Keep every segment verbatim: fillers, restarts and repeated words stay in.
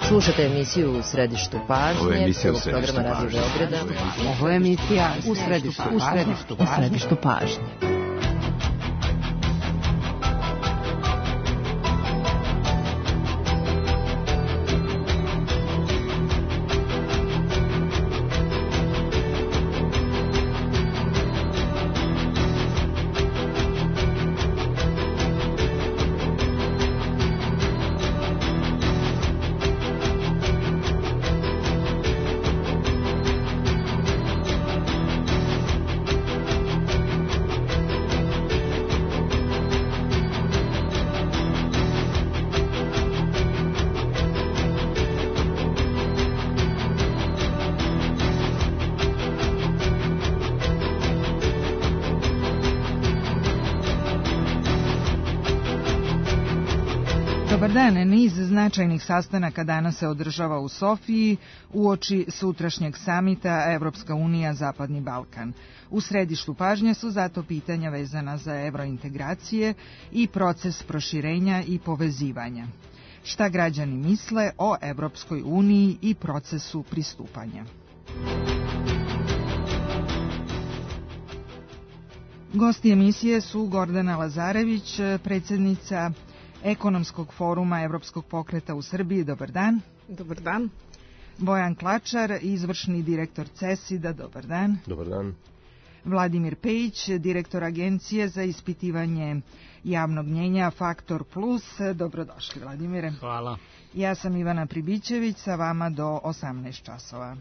Slušate emisiju U središtu pažnje, prvog programa Radio Beograda. Ovo je emisija U središtu pažnje. U središtu pažnje. Dobar dan, niz značajnih sastanaka danas se održava u Sofiji uoči sutrašnjeg samita Evropska unija Zapadni Balkan. U središtu pažnje su zato pitanja vezana za evrointegracije i proces proširenja i povezivanja. Šta građani misle o Evropskoj uniji i procesu pristupanja? Gosti emisije su Gordana Lazarević, predsjednica Ekonomskog foruma Evropskog pokreta u Srbiji. Dobar dan. Dobar dan. Bojan Klačar, izvršni direktor CESID-a. Dobar dan. Dobar dan. Vladimir Pejić, direktor Agencije za ispitivanje javnog mnjenja Faktor Plus. Dobrodošli, Vladimire. Hvala. Ja sam Ivana Pribićević, sa vama do osamnaest časova.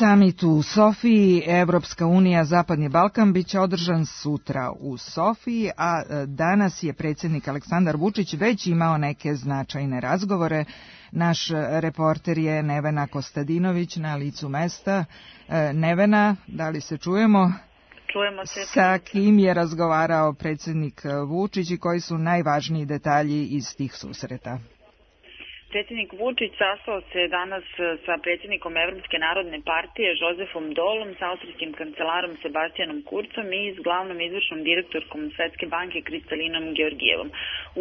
Samit u Sofiji, Evropska unija, Zapadni Balkan, bit će održan sutra u Sofiji, a danas je predsjednik Aleksandar Vučić već imao neke značajne razgovore. Naš reporter je Nevena Kostadinović na licu mesta. Nevena, da li se čujemo? Čujemo se. Sa kim je razgovarao predsjednik Vučić i koji su najvažniji detalji iz tih susreta? Predsjednik Vučić sastao se danas sa predsjednikom Evropske narodne partije Josefom Dolom, sa austrijskim kancelarom Sebastianom Kurcom i s glavnom izvršnom direktorkom Svetske banke Kristalinom Georgijevom.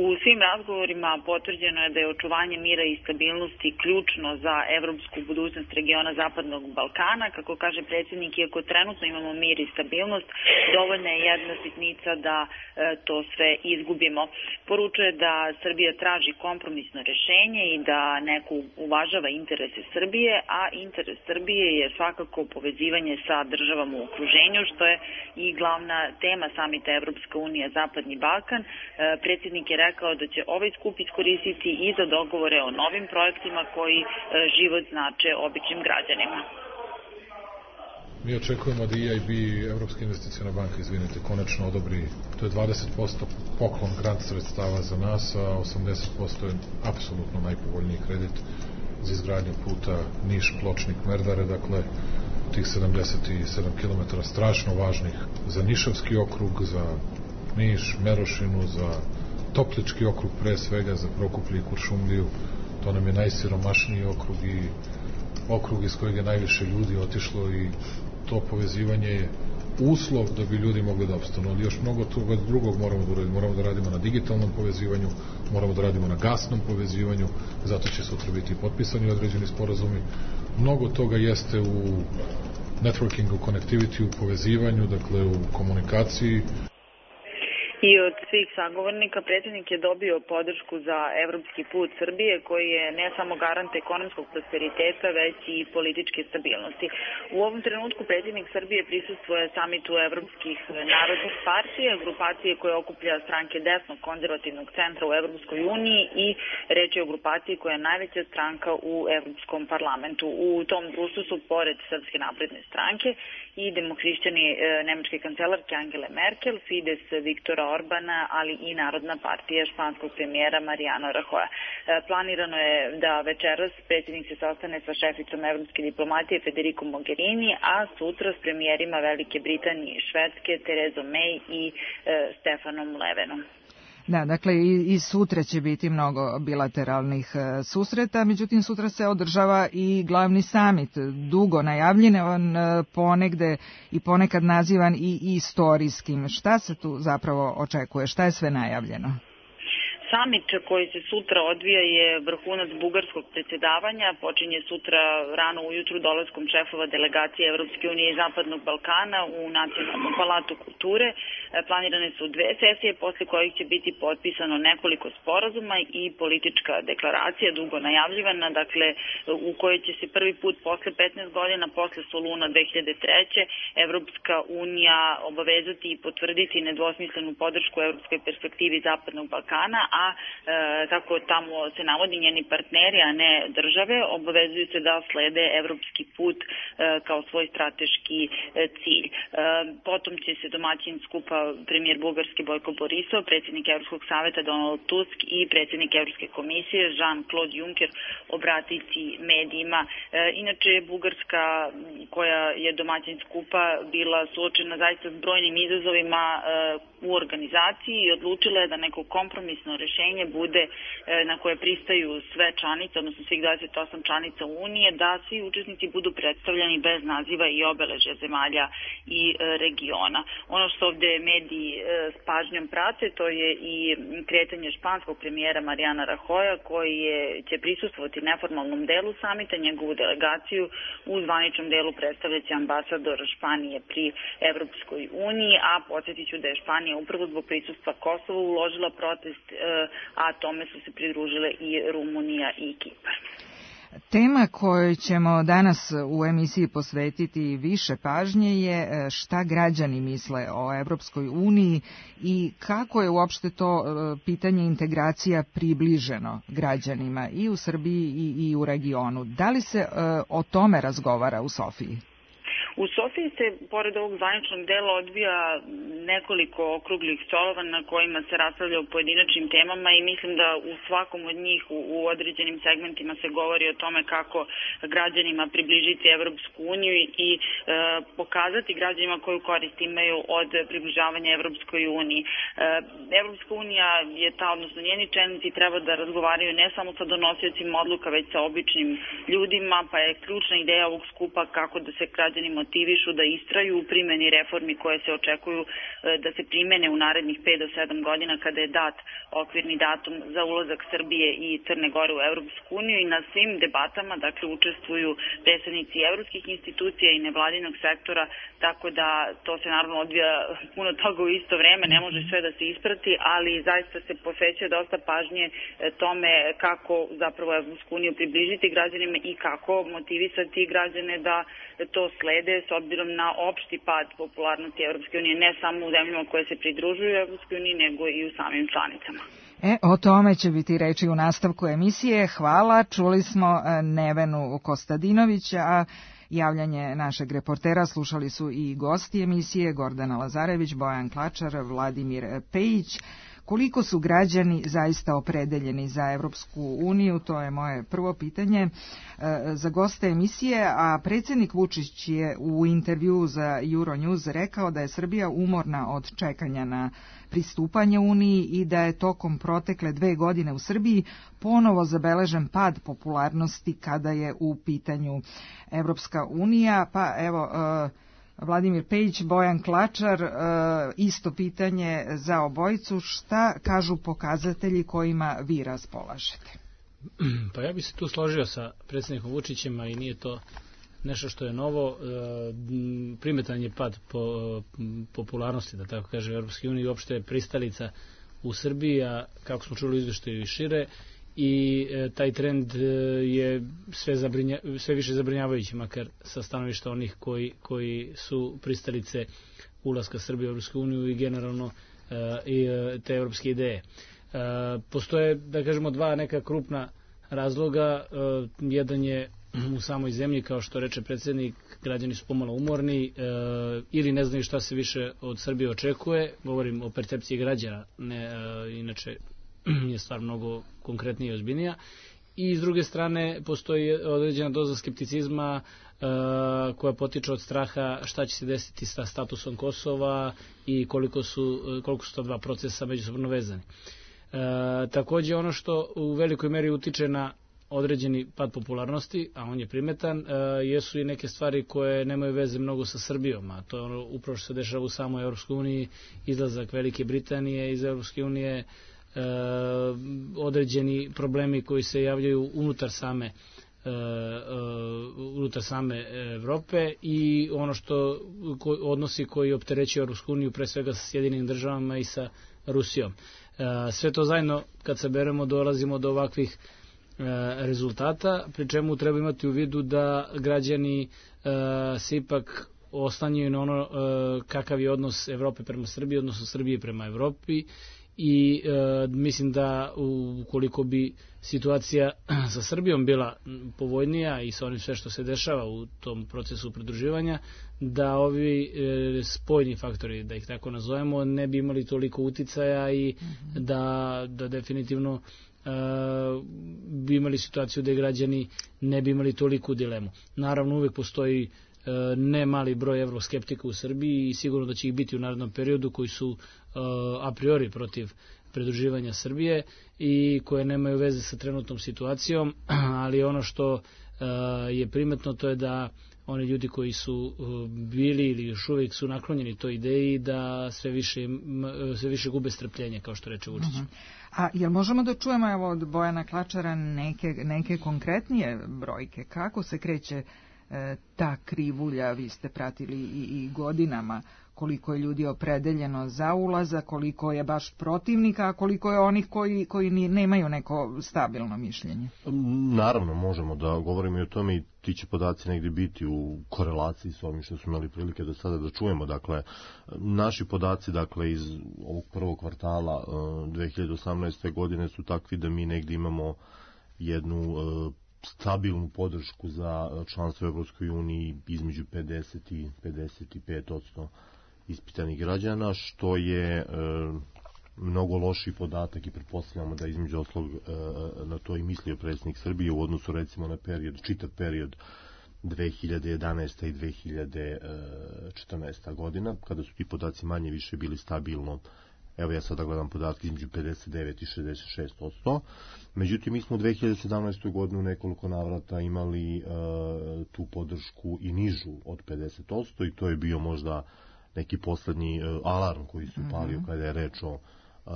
U svim razgovorima potvrđeno je da je očuvanje mira i stabilnosti ključno za evropsku budućnost regiona Zapadnog Balkana. Kako kaže predsjednik, iako trenutno imamo mir i stabilnost, dovoljna je jedna sitnica da e, to sve izgubimo. Poručuje da Srbija traži kompromisno rješenje i da neko uvažava interese Srbije, a interes Srbije je svakako povezivanje sa državama u okruženju, što je i glavna tema samita Evropska unija Zapadni Balkan. E, predsjednik je rekao da će ovaj skup iskoristiti i za dogovore o novim projektima koji e, život znače običnim građanima. Mi očekujemo da E I B, Evropska investicijna banka, izvinite, konačno odobri, to je dvadeset posto poklon grant sredstava za nas, a osamdeset posto je apsolutno najpovoljniji kredit za izgradnju puta Niš-Pločnik-Merdare, dakle tih sedamdeset sedam kilometara strašno važnih za Nišavski okrug, za Niš, Merošinu, za Toplički okrug pre svega, za Prokuplje i Kuršumliju. To nam je najsiromašniji okrug i okrug iz kojeg je najviše ljudi otišlo i to povezivanje je uslov da bi ljudi mogli da opstanu, ali još mnogo toga drugog moramo da uradimo. Moramo da radimo na digitalnom povezivanju, moramo da radimo na gasnom povezivanju, zato će sutra biti potpisani određeni sporazumi. Mnogo toga jeste u networkingu, connectivity, u povezivanju, dakle u komunikaciji. I od svih sagovornika predsjednik je dobio podršku za evropski put Srbije, koji je ne samo garant ekonomskog prosperiteta, već i političke stabilnosti. U ovom trenutku predsjednik Srbije prisustvuje samitu evropskih narodnih partija, grupacije koje okuplja stranke desnog konzervativnog centra u Evropskoj uniji, i reč je o grupaciji koja je najveća stranka u Evropskom parlamentu. U tom društvu su, pored Srpske napredne stranke, i demohrišćani e, nemačke kancelarke Angele Merkel, Fides Viktora Orbana, ali i Narodna partija španskog premijera Mariano Rajoya. Planirano je da večeras predsjednik se sastane sa šeficom evropske diplomatije Federico Mogherini, a sutra s premijerima Velike Britanije i Švedske Terezom May i Stefanom Levenom. Da, dakle i, i sutra će biti mnogo bilateralnih e, susreta, međutim sutra se održava i glavni samit, dugo najavljen, e, ponegde i ponekad nazivan i istorijskim. Šta se tu zapravo očekuje, šta je sve najavljeno? Samit koji se sutra odvija je vrhunac bugarskog predsjedavanja, počinje sutra rano ujutru dolaskom šefova delegacije Evropske unije i Zapadnog Balkana u Nacionalnom palatu kulture. Planirane su dve sesije, posle kojih će biti potpisano nekoliko sporazuma i politička deklaracija, dugo najavljivana, dakle u kojoj će se prvi put posle petnaest godina, posle Soluna dve hiljade treće. Evropska unija obavezati i potvrditi nedvosmislenu podršku evropskoj perspektivi Zapadnog Balkana, a e, tako tamo se navodi njeni partneri, a ne države, obavezuju se da slede evropski put e, kao svoj strateški e, cilj. E, potom će se domaćin skupa premijer Bugarske Bojko Borisov, predsjednik Evropskog saveta Donald Tusk i predsjednik Evropske komisije Jean-Claude Juncker obratiti medijima. E, inače, Bugarska, koja je domaćin skupa, bila suočena zaista s brojnim izazovima e, u organizaciji i odlučila je da neko kompromisno rešenje bude na koje pristaju sve članice, odnosno svih dvadeset osam članica Unije, da svi učesnici budu predstavljeni bez naziva i obeležja zemalja i regiona. Ono što ovde mediji s pažnjom prate, to je i kretanje španskog premijera Mariana Rajoja, koji je, će prisustvovati neformalnom delu samita, njegovu delegaciju u zvaničnom delu predstavljaće ambasador Španije pri Evropskoj uniji, a podsjetit ću da je Španija upravo zbog prisustva Kosova uložila protest, a tome su se pridružile i Rumunija i Kipar. Tema kojoj ćemo danas u emisiji posvetiti više pažnje je šta građani misle o Evropskoj uniji i kako je uopšte to pitanje integracija približeno građanima i u Srbiji i, i u regionu. Da li se o tome razgovara u Sofiji? U Sofiji se, pored ovog zvaničnog dela, odvija nekoliko okruglih stolova na kojima se raspravlja o pojedinačnim temama i mislim da u svakom od njih u, u određenim segmentima se govori o tome kako građanima približiti Evropsku uniju i e, pokazati građanima koju korist imaju od približavanja Evropskoj uniji. E, Evropska unija je ta, odnosno njeni čelnici treba da razgovaraju ne samo sa donosiocima odluka, već sa običnim ljudima, pa je ključna ideja ovog skupa kako da se građani motivišu da istraju u primjeni reformi koje se očekuju da se primene u narednih pet do sedam godina kada je dat okvirni datum za ulazak Srbije i Crne Gore u Evropsku uniju i na svim debatama, dakle, učestvuju predstavnici evropskih institucija i nevladinog sektora, tako da to se naravno odvija puno toga u isto vreme, ne može sve da se isprati, ali zaista se posvećuje dosta pažnje tome kako zapravo Evropsku uniju približiti građanima i kako motivisati građane da to slede s obzirom na opšti pad popularnosti Evropske unije, ne samo u zemljama koje se pridružuju Evropskoj uniji, nego i u samim članicama. E, o tome će biti reči u nastavku emisije. Hvala. Čuli smo Nevenu Kostadinovića, a javljanje našeg reportera slušali su i gosti emisije Gordana Lazarević, Bojan Klačar, Vladimir Pejić. Koliko su građani zaista opredeljeni za Evropsku uniju, to je moje prvo pitanje za goste emisije, a predsjednik Vučić je u intervju za Euronews rekao da je Srbija umorna od čekanja na pristupanje Uniji i da je tokom protekle dve godine u Srbiji ponovo zabeležen pad popularnosti kada je u pitanju Evropska unija. Pa evo, Vladimir Pejić, Bojan Klačar, isto pitanje za obojicu. Šta kažu pokazatelji kojima vi raspolažete? Pa ja bih se tu složio sa predsjednikom Vučićem, i nije to nešto što je novo. Primetan je pad po popularnosti, da tako kaže, Evropske unije i uopšte pristalica u Srbiji, a kako smo čuli u izveštaju i šire, i taj trend je sve, zabrinja, sve više zabrinjavajući, makar sa stanovišta onih koji, koji su pristalice ulaska Srbije u Evropsku uniju i generalno i te evropske ideje. Postoje, da kažemo, dva neka krupna razloga. Jedan je u samoj zemlji, kao što reče predsjednik, građani su pomalo umorni ili ne znaju šta se više od Srbije očekuje. Govorim o percepciji građana, ne, inače je stvar mnogo konkretnija i ozbiljnija. I s druge strane postoji određena doza skepticizma uh, koja potiče od straha šta će se desiti sa statusom Kosova i koliko su, koliko su to dva procesa međusobno vezani. Uh, također ono što u velikoj meri utiče na određeni pad popularnosti, a on je primetan, uh, jesu i neke stvari koje nemaju veze mnogo sa Srbijom, a to je ono upravo što se dešava u samoj Europskoj uniji, izlazak Velike Britanije iz Europske unije, E, određeni problemi koji se javljaju unutar same e, e, unutar same Evrope i ono što ko, odnosi koji opterećuju Europsku uniju pre svega sa Sjedinim državama i sa Rusijom. E, sve to zajedno kad se beremo dolazimo do ovakvih e, rezultata, pri čemu treba imati u vidu da građani e, se ipak oslanjaju na ono e, kakav je odnos Evrope prema Srbiji, odnosno Srbije prema Evropi. I e, mislim da ukoliko bi situacija sa Srbijom bila povoljnija i sa onim sve što se dešava u tom procesu pridruživanja, da ovi e, spoljni faktori, da ih tako nazovemo, ne bi imali toliko uticaja i mm-hmm. da, da definitivno e, bi imali situaciju da građani ne bi imali toliku dilemu. Naravno, uvijek postoji ne mali broj evroskeptika u Srbiji i sigurno da će ih biti u narednom periodu koji su a priori protiv pridruživanja Srbije i koje nemaju veze sa trenutnom situacijom, ali ono što je primetno to je da oni ljudi koji su bili ili još uvijek su naklonjeni toj ideji da sve više, sve više gube strpljenje, kao što reče Vučić. Uh-huh. A jel možemo da čujemo evo od Bojana Klačara neke, neke konkretnije brojke? Kako se kreće ta krivulja, vi ste pratili i, i godinama, koliko je ljudi opredeljeno za ulazak, koliko je baš protivnika, a koliko je onih koji, koji ni, nemaju neko stabilno mišljenje? Naravno, možemo da govorimo i o tome i ti će podaci negdje biti u korelaciji s ovim što smo imali prilike do sada da čujemo. Dakle, naši podaci dakle, iz ovog prvog kvartala dve hiljade osamnaeste. godine su takvi da mi negdje imamo jednu stabilnu podršku za članstvo u Evropskoj uniji između pedeset i pedeset pet odsto ispitanih građana, što je e, mnogo lošiji podatak i pretpostavljamo da između oslog e, na to i mislio predsjednik Srbije u odnosu recimo na period, čitav period dve hiljade jedanaeste. i dve hiljade četrnaeste. godina, kada su ti podaci manje više bili stabilno. Evo ja sada gledam podatke između pedeset devet i šezdeset šest odsto. Međutim, mi smo u dve hiljade sedamnaestoj. godinu nekoliko navrata imali uh, tu podršku i nižu od pedeset odsto i to je bio možda neki poslednji uh, alarm koji se upalio mm-hmm. kada je reč o uh,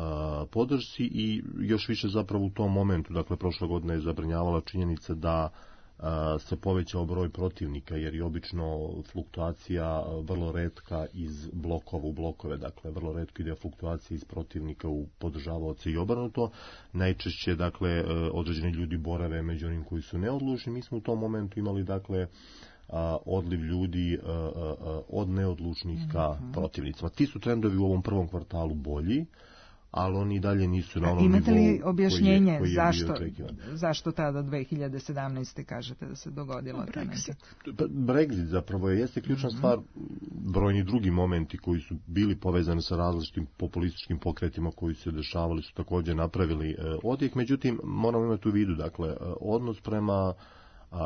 podršci i još više zapravo u tom momentu, dakle prošle godine je zabrinjavala činjenica da se povećao broj protivnika, jer je obično fluktuacija vrlo retka iz blokova u blokove, dakle vrlo retko ide fluktuacija iz protivnika u podržavaoce i obrnuto. Najčešće, dakle, određeni ljudi borave među onim koji su neodlučni. Mi smo u tom momentu imali, dakle, odliv ljudi od neodlučnih ka protivnicima. Ti su trendovi u ovom prvom kvartalu bolji, ali oni dalje nisu na onom nivou. Imate li objašnjenje koji je, koji je zašto, zašto tada dve hiljade sedamnaeste. kažete da se dogodilo? Brexit. Brexit zapravo je, jeste ključna mm-hmm. stvar, brojni drugi momenti koji su bili povezani sa različitim populističkim pokretima koji se dešavali su također napravili e, odjek, međutim moramo imati u vidu, dakle, odnos prema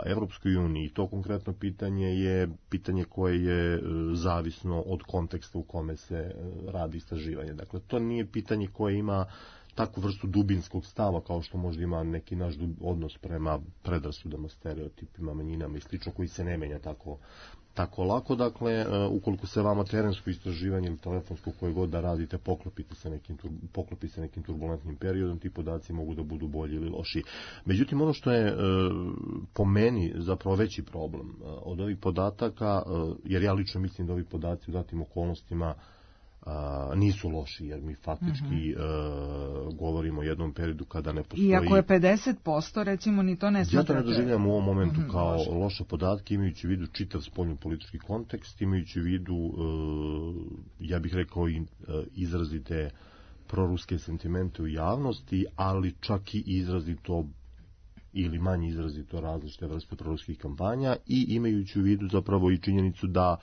Evropskoj uniji. To konkretno pitanje je pitanje koje je zavisno od konteksta u kome se radi istraživanje. Dakle, to nije pitanje koje ima takvu vrstu dubinskog stava kao što možda ima neki naš odnos prema predrasudama, stereotipima, manjinama i slično, koji se ne menja tako tako lako. Dakle, ukoliko se vama terensko istraživanje ili telefonsko koje god da radite poklopite se nekim, poklopi se nekim turbulentnim periodom, ti podaci mogu da budu bolji ili loši. Međutim, ono što je po meni zapravo veći problem od ovih podataka, jer ja lično mislim da ovi podaci u datim okolnostima a, nisu loši, jer mi faktički mm-hmm. a, govorimo o jednom periodu kada ne postoji... Iako je pedeset posto, recimo, ni to ne smatrate... Ja to ne doživljam u ovom momentu mm-hmm, kao loše. loše podatke, imajući u vidu čitav spoljno-politički kontekst, imajući u vidu, a, ja bih rekao, i a, izrazite proruske sentimente u javnosti, ali čak i izrazito ili manje izrazito različite vrste proruskih kampanja i imajući u vidu zapravo i činjenicu da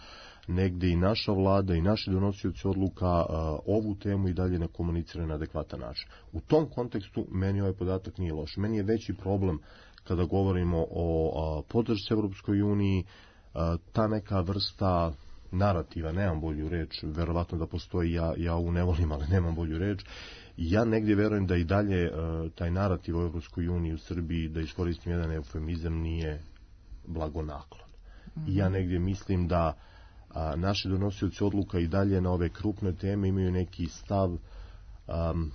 negde i naša vlada i naši donosioci odluka a, ovu temu i dalje ne komuniciraju na adekvatan način. U tom kontekstu meni ovaj podatak nije loš. Meni je veći problem kada govorimo o a, podršci Evropskoj uniji, a, ta neka vrsta narativa, nemam bolju reč, verovatno da postoji, ja, ja ovu ne volim, ali nemam bolju reč. Ja negdje verujem da i dalje uh, taj narativ o Evropskoj uniji u Srbiji, da iskoristim jedan eufemizam, nije blagonaklon. Mm-hmm. I ja negdje mislim da a, naši donosioci odluka i dalje na ove krupne teme imaju neki stav um,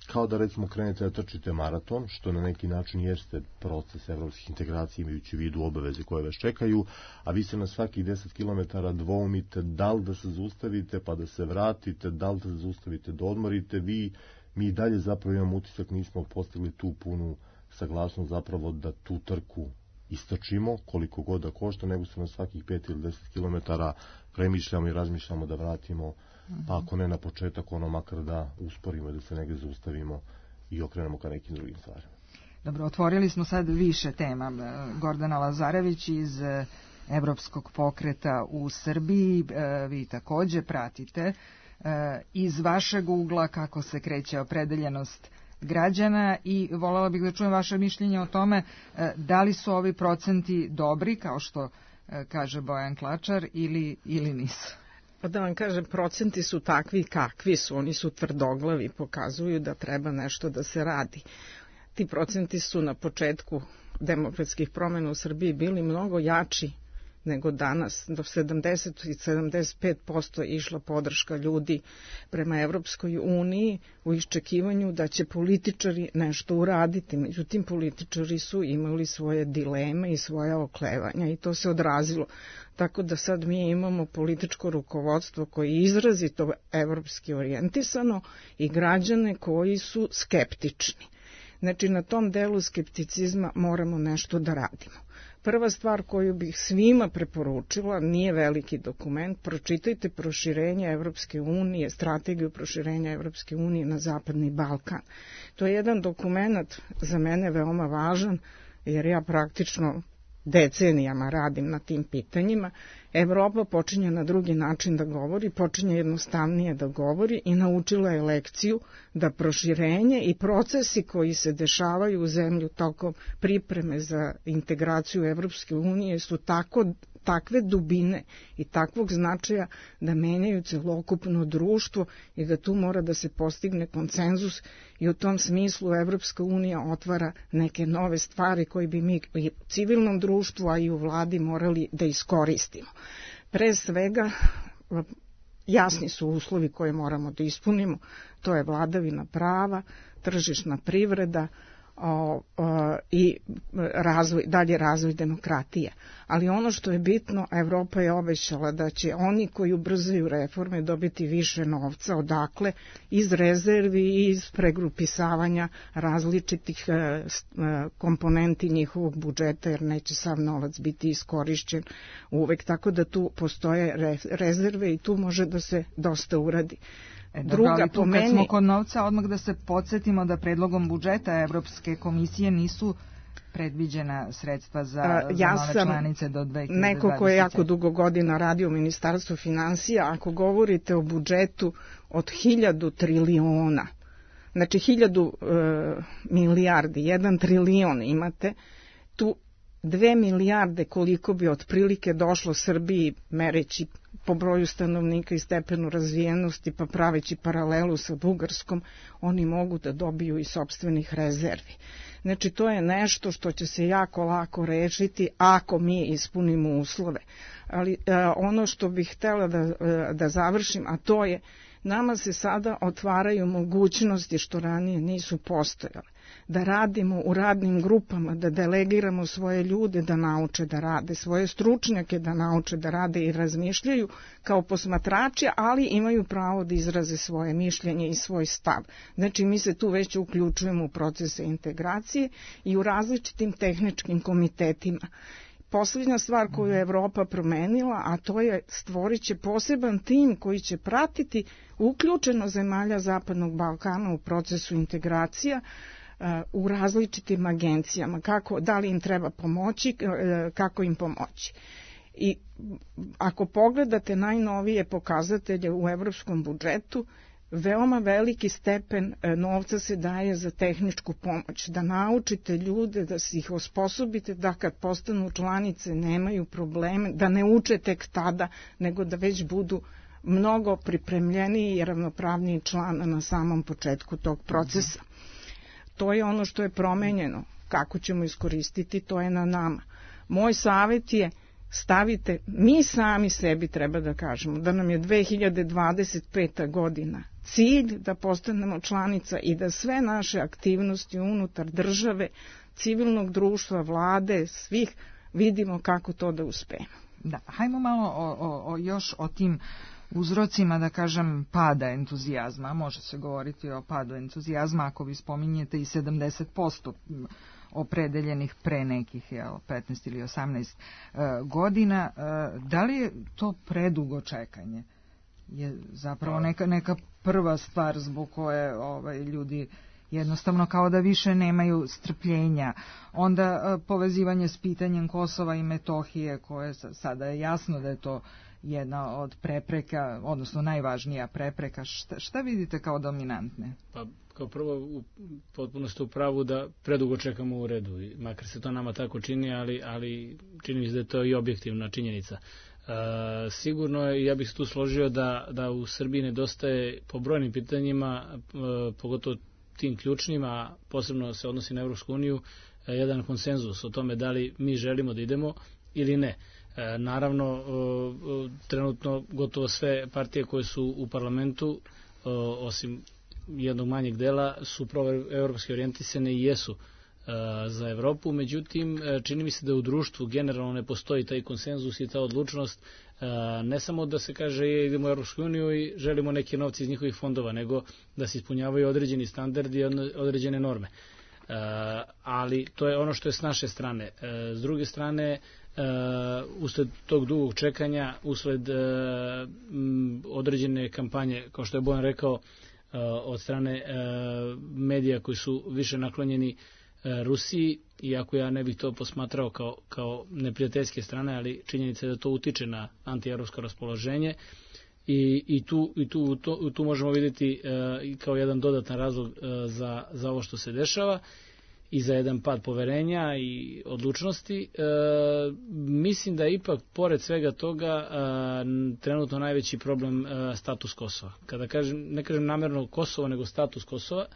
kao da recimo krenete da trčite maraton, što na neki način jeste proces evropskih integracija imajući u vidu obaveze koje vas čekaju, a vi se na svakih deset kilometara dvoumite da li da se zaustavite pa da se vratite, da li da se zaustavite da odmorite, vi, mi i dalje zapravo imamo utisak, nismo postigli tu punu saglasnost zapravo da tu trku istrčimo koliko god da košta, nego se na svakih pet ili deset kilometara premišljamo i razmišljamo da vratimo, pa ako ne na početak, ono makar da usporimo i da se negdje zaustavimo i okrenemo ka nekim drugim stvarima. Dobro, otvorili smo sad više tema. Gordana Lazarević iz Evropskog pokreta u Srbiji, vi takođe pratite iz vašeg ugla kako se kreće opredeljenost građana i voljela bih da čujem vaše mišljenje o tome da li su ovi procenti dobri, kao što kaže Bojan Klačar, ili, ili nisu. Pa da vam kažem, procenti su takvi kakvi su, oni su tvrdoglavi, pokazuju da treba nešto da se radi. Ti procenti su na početku demokratskih promjena u Srbiji bili mnogo jači nego danas. Do sedamdeset i sedamdeset pet posto je išla podrška ljudi prema Evropskoj uniji u iščekivanju da će političari nešto uraditi. Međutim, političari su imali svoje dileme i svoje oklevanja i to se odrazilo. Tako da sad mi imamo političko rukovodstvo koje je izrazito evropski orijentisano i građane koji su skeptični. Znači, na tom delu skepticizma moramo nešto da radimo. Prva stvar koju bih svima preporučila, nije veliki dokument, pročitajte proširenje Evropske unije, strategiju proširenja Evropske unije na Zapadni Balkan. To je jedan dokument za mene veoma važan, jer ja praktično decenijama radim na tim pitanjima. Evropa počinje na drugi način da govori, počinje jednostavnije da govori i naučila je lekciju da proširenje i procesi koji se dešavaju u zemlju tokom pripreme za integraciju Evropske unije su tako takve dubine i takvog značaja da menjaju celokupno društvo i da tu mora da se postigne konsenzus i u tom smislu Evropska unija otvara neke nove stvari koje bi mi i u civilnom društvu, a i u vladi morali da iskoristimo. Pre svega, jasni su uslovi koje moramo da ispunimo, to je vladavina prava, tržišna privreda, O, o, i razvoj, dalje razvoj demokratije. Ali ono što je bitno, Evropa je obećala da će oni koji ubrzaju reforme dobiti više novca, odakle? Iz rezervi i iz pregrupisavanja različitih e, komponenti njihovog budžeta, jer neće sav novac biti iskorišćen uvek, tako da tu postoje re, rezerve i tu može da se dosta uradi. E, dobro, druga, ali tu kad smo kod novca, odmah da se podsjetimo da predlogom budžeta Evropske komisije nisu predviđena sredstva za, a, ja za nove članice do dve hiljade dvadeset. Neko ko je jako dugo godina radio u Ministarstvu finansija, ako govorite o budžetu od hiljadu triliona, znači hiljadu e, milijardi, jedan trilion imate, tu dve milijarde koliko bi otprilike došlo Srbiji mereći po broju stanovnika i stepenu razvijenosti, pa praveći paralelu sa Bugarskom, oni mogu da dobiju i sopstvenih rezervi. Znači, to je nešto što će se jako lako rešiti ako mi ispunimo uslove. Ali e, ono što bih htjela da, e, da završim, a to je, nama se sada otvaraju mogućnosti što ranije nisu postojale. Da radimo u radnim grupama, da delegiramo svoje ljude da nauče da rade, svoje stručnjake da nauče da rade i razmišljaju kao posmatrači, ali imaju pravo da izraze svoje mišljenje i svoj stav. Znači, mi se tu već uključujemo u procese integracije i u različitim tehničkim komitetima. Posljednja stvar koju je Evropa promenila, a to je stvorit će poseban tim koji će pratiti uključeno zemalja Zapadnog Balkana u procesu integracija, u različitim agencijama, kako, da li im treba pomoći, kako im pomoći. I ako pogledate najnovije pokazatelje u evropskom budžetu, veoma veliki stepen novca se daje za tehničku pomoć, da naučite ljude, da se ih osposobite da kad postanu članice nemaju probleme, da ne uče tek tada, nego da već budu mnogo pripremljeniji i ravnopravniji član na samom početku tog procesa. To je ono što je promenjeno. Kako ćemo iskoristiti, to je na nama. Moj savjet je stavite, mi sami sebi treba da kažemo da nam je dve hiljade dvadeset peta godina cilj da postanemo članica i da sve naše aktivnosti unutar države, civilnog društva, vlade, svih vidimo kako to da uspemo. Da, hajmo malo o, o, o, još o tim uzrocima, da kažem, pada entuzijazma. Može se govoriti o padu entuzijazma ako vi spominjete i sedamdeset posto opredeljenih pre nekih jel, petnaest ili osamnaest uh, godina. Uh, da li je to predugo čekanje? Je zapravo neka, neka prva stvar zbog koje ovaj, ljudi jednostavno kao da više nemaju strpljenja. Onda uh, povezivanje s pitanjem Kosova i Metohije, koje sada je jasno da je to jedna od prepreka, odnosno najvažnija prepreka. Šta, šta vidite kao dominantne? Pa kao prvo, u, potpuno ste u pravu da predugo čekamo u redu, makar se to nama tako čini, ali, ali čini mi se da je to i objektivna činjenica. E, sigurno je, ja bih se tu složio da, da u Srbiji nedostaje po brojnim pitanjima, e, pogotovo tim ključnima, posebno se odnosi na Evropsku uniju, e, jedan konsenzus o tome da li mi želimo da idemo ili ne. E, naravno, e, trenutno gotovo sve partije koje su u parlamentu, e, osim jednog manjeg dela, su proevropski orijentisane i jesu e, za Evropu, međutim, e, čini mi se da u društvu generalno ne postoji taj konsenzus i ta odlučnost, e, ne samo da se kaže je, idemo u Evropsku uniju i želimo neke novce iz njihovih fondova, nego da se ispunjavaju određeni standardi i određene norme. E, ali to je ono što je s naše strane. E, s druge strane, Uh, usled tog dugog čekanja, usled uh, m, određene kampanje, kao što je Bojan rekao, uh, od strane uh, medija koji su više naklonjeni uh, Rusiji, iako ja ne bih to posmatrao kao, kao neprijateljske strane, ali činjenica je da to utiče na antievropsko raspoloženje i, i, tu, i tu, to, tu možemo vidjeti uh, kao jedan dodatan razlog uh, za, za ovo što se dešava i za jedan pad poverenja i odlučnosti. E, mislim da je ipak, pored svega toga, e, trenutno najveći problem e, status Kosova. Kada kažem, ne kažem namjerno Kosovo, nego status Kosova,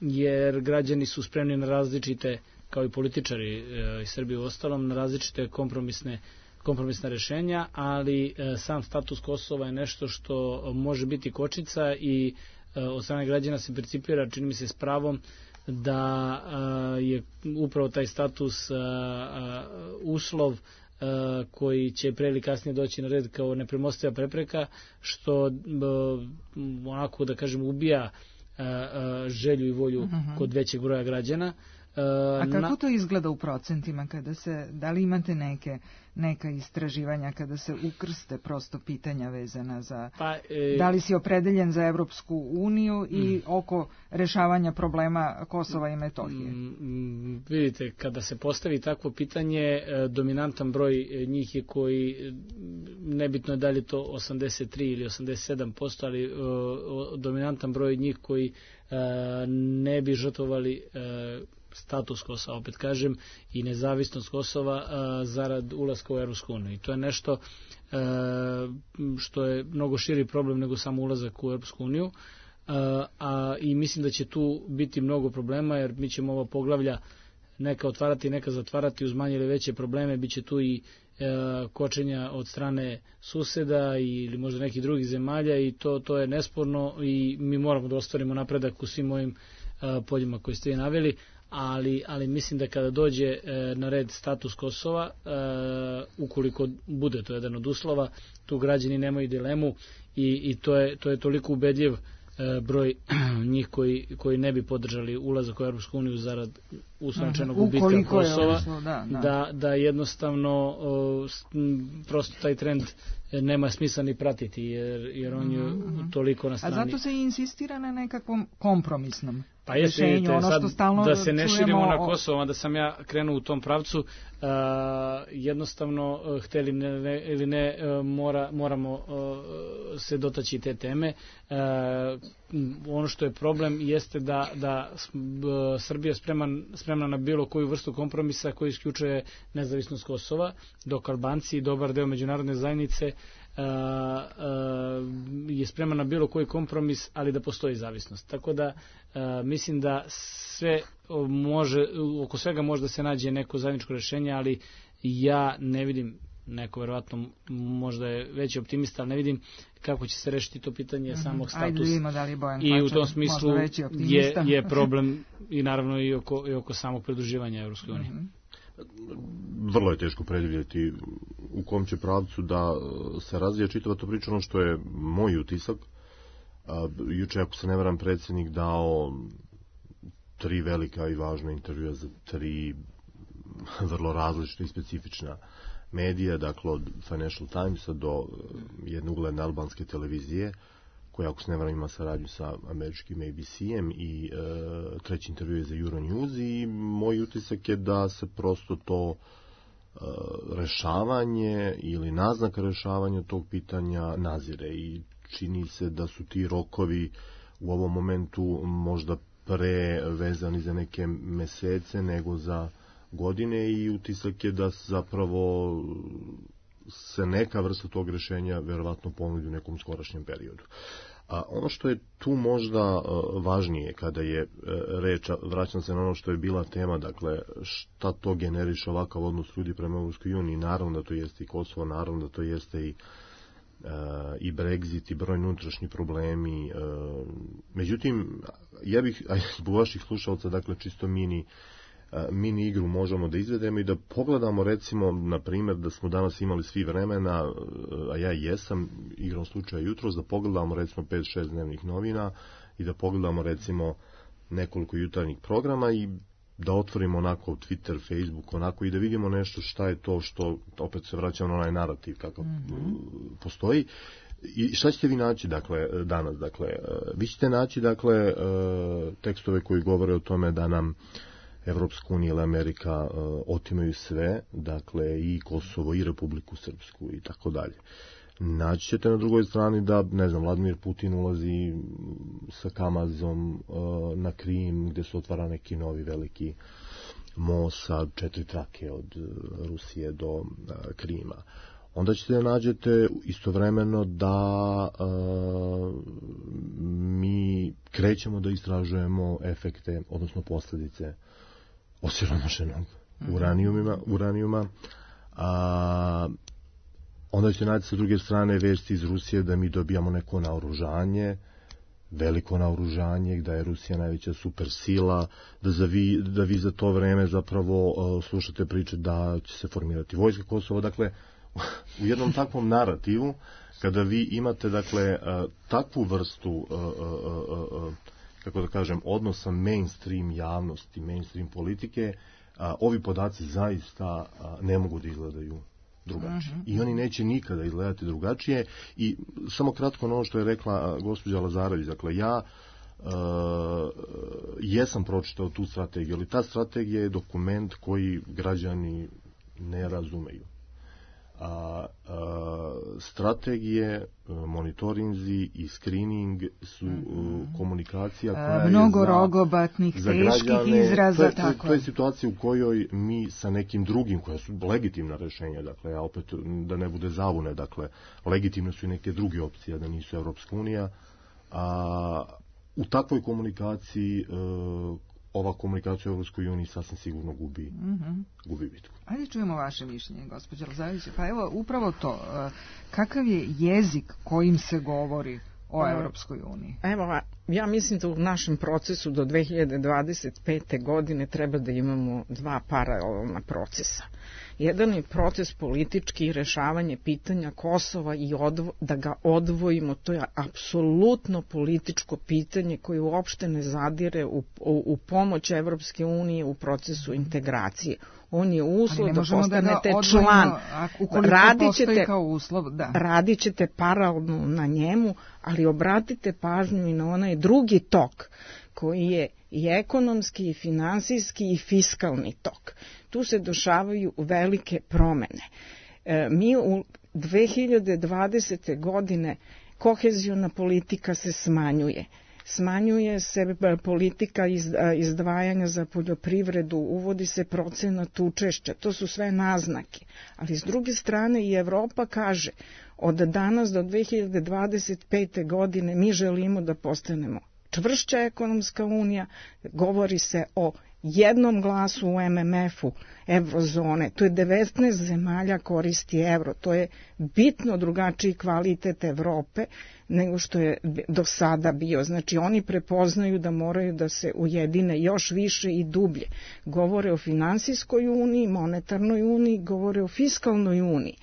jer građani su spremni na različite, kao i političari e, iz Srbije u ostalom, na različite kompromisne kompromisna rešenja, ali e, sam status Kosova je nešto što može biti kočnica i e, od strane građana se percipira, čini mi se s pravom, da a, je upravo taj status a, a, uslov a, koji će pre ili kasnije doći na red kao nepremostiva prepreka, što a, onako da kažem ubija a, a, želju i volju uh-huh. kod većeg broja građana. A, a kako to izgleda u procentima kada se, da li imate neke neka istraživanja kada se ukrste prosto pitanja vezana za pa, e, da li si opredeljen za Evropsku uniju i mm. oko rešavanja problema Kosova i Metohije? Mm, vidite, kada se postavi takvo pitanje, dominantan broj njih je koji, nebitno je da li to osamdeset tri ili osamdeset sedam posto, ali o, dominantan broj njih koji a, ne bi žrtvovali a, status Kosova, opet kažem, i nezavisnost Kosova a, zarad ulaska u Evropsku uniju. I to je nešto a, što je mnogo širi problem nego samo ulazak u Evropsku uniju. A, a, i mislim da će tu biti mnogo problema, jer mi ćemo ovo poglavlja neka otvarati, neka zatvarati uz manje ili veće probleme. Biće tu i e, kočenja od strane suseda ili možda nekih drugih zemalja i to, to je nesporno i mi moramo da ostvarimo napredak u svim ovim e, poljima koje ste naveli. Ali, ali mislim da kada dođe e, na red status Kosova, e, ukoliko bude to jedan od uslova, tu građani nemaju dilemu i, i to, je, to je toliko ubedljiv e, broj njih koji, koji ne bi podržali ulazak u Europsku uniju zarad uslovčenog gubitka Kosova, uslov, da, da. Da, da jednostavno o, prosto taj trend nema smisla ni pratiti, jer, jer on je mm-hmm. toliko na strani. A zato se insistira na nekakvom kompromisnom pa jeste, rešenju, ono što stalno da se ne čujemo širimo na o... Kosovo, da sam ja krenuo u tom pravcu, uh, jednostavno, uh, hteli ne, ili ne, uh, mora, moramo uh, se dotaći te teme. Uh, ono što je problem jeste da, da uh, Srbija spreman, spremna na bilo koju vrstu kompromisa koji isključuje nezavisnost Kosova, dok Albanci i dobar deo međunarodne zajednice Uh, uh, je spreman na bilo koji kompromis, ali da postoji zavisnost. Tako da uh, mislim da sve može, oko svega može da se nađe neko zajedničko rešenje, ali ja ne vidim, neko verovatno možda je veći optimista, ali ne vidim kako će se rešiti to pitanje mm-hmm. samog statusa. Ajde, vidimo da li Bojan I u tom smislu je, je problem i naravno i oko, i oko samog pridruživanja Evropskoj uniji. Mm-hmm. Vrlo je teško predvidjeti u kom će pravcu da se razvija čitava to priča. Ono što je moj utisak, juče, ako se ne varam, predsjednik dao tri velika i važna intervjua za tri vrlo različite i specifična medija, dakle od Financial Timesa do jedne ugledne albanske televizije, koja, ako se ne varam, ima saradnju sa američkim A B C-em, i e, treći intervju je za Euronews, i moj utisak je da se prosto to e, rešavanje ili naznaka rešavanja tog pitanja nazire, i čini se da su ti rokovi u ovom momentu možda pre vezani za neke mesece nego za godine, i utisak je da zapravo se neka vrsta tog rešenja verovatno ponudi u nekom skorašnjem periodu. A ono što je tu možda uh, važnije kada je uh, reč, vraćam se na ono što je bila tema, dakle šta to generiše ovakav odnos ljudi prema Evropskoj uniji, naravno da to jeste i Kosovo, naravno da to jeste i uh, i Brexit i brojni unutrašnji problemi. Uh, međutim, ja bih, zbog vaših slušalca, dakle čisto mini mini igru možemo da izvedemo i da pogledamo, recimo, na primjer, da smo danas imali svi vremena, a ja jesam, igrom slučaja jutros, da pogledamo recimo pet šest dnevnih novina i da pogledamo recimo nekoliko jutarnjih programa i da otvorimo onako Twitter, Facebook, onako, i da vidimo nešto šta je to što, opet se vraćamo na onaj narativ kakav mm-hmm. postoji. I šta ćete vi naći, dakle, danas? Dakle, vi ćete naći, dakle, tekstove koji govore o tome da nam Evropska unija ili Amerika uh, otimaju sve, dakle i Kosovo i Republiku Srpsku i tako dalje. Naći ćete na drugoj strani da, ne znam, Vladimir Putin ulazi sa Kamazom uh, na Krim, gdje se otvara neki novi veliki most sa četiri trake od uh, Rusije do uh, Krima. Onda ćete nađete istovremeno da uh, mi krećemo da istražujemo efekte, odnosno posljedice osiromašenog uranijuma, uranijuma. A, onda ćete naći sa druge strane vesti iz Rusije da mi dobijamo neko naoružanje, veliko naoružanje, da je Rusija najveća supersila, da, za vi, da vi za to vreme zapravo uh, slušate priče da će se formirati vojska Kosova. Dakle, u jednom takvom narativu, kada vi imate, dakle, uh, takvu vrstu uh, uh, uh, kako da kažem, odnosa mainstream javnosti, mainstream politike, a, ovi podaci zaista a, ne mogu da izgledaju drugačije. Uh-huh. I oni neće nikada izgledati drugačije. I samo kratko na ono što je rekla a, gospođa Lazarević, dakle, ja a, jesam pročitao tu strategiju, ali ta strategija je dokument koji građani ne razumeju. A, a, strategije, monitorinzi i screening su mm-hmm. komunikacija koja a, mnogo je za, rogobatnih, za teških građane, izraza. To je, tako. to je situacija u kojoj mi sa nekim drugim, koja su legitimna rešenja, dakle, ja opet da ne bude zavune, dakle, legitimne su i neke druge opcije, da nisu Evropska unija, a u takvoj komunikaciji uh, ova komunikacija u Evropskoj uniji sasvim sigurno gubi, mm-hmm. gubi bitku. Ajde čujemo vaše mišljenje, gospođa Lazarević. Pa evo, upravo to. Kakav je jezik kojim se govori o Evropskoj uniji? Evo, ja mislim da u našem procesu do dve hiljade dvadeset pete. godine treba da imamo dva paralelna procesa. Jedan je proces politički, rešavanje pitanja Kosova i odvo, da ga odvojimo. To je apsolutno političko pitanje koje uopšte ne zadire u, u, u pomoć Evropske unije u procesu integracije. On je uslov da postanete da član. Radit ćete, kao uslov, da. radit ćete paralelno na njemu, ali obratite pažnju i na onaj drugi tok koji je i ekonomski, i finansijski, i fiskalni tok. Tu se dešavaju velike promene. E, mi u dve hiljade dvadesete. godine koheziona politika se smanjuje. Smanjuje se politika izdvajanja za poljoprivredu, uvodi se procenat učešća, to su sve naznake. Ali s druge strane i Evropa kaže, od danas do dve hiljade dvadeset pete. godine mi želimo da postanemo čvršća ekonomska unija, govori se o jednom glasu u em em efu evrozone, to je devetnaest zemalja koristi evro, to je bitno drugačiji kvalitet Evrope nego što je do sada bio. Znači oni prepoznaju da moraju da se ujedine još više i dublje. Govore o finansijskoj uniji, monetarnoj uniji, govore o fiskalnoj uniji.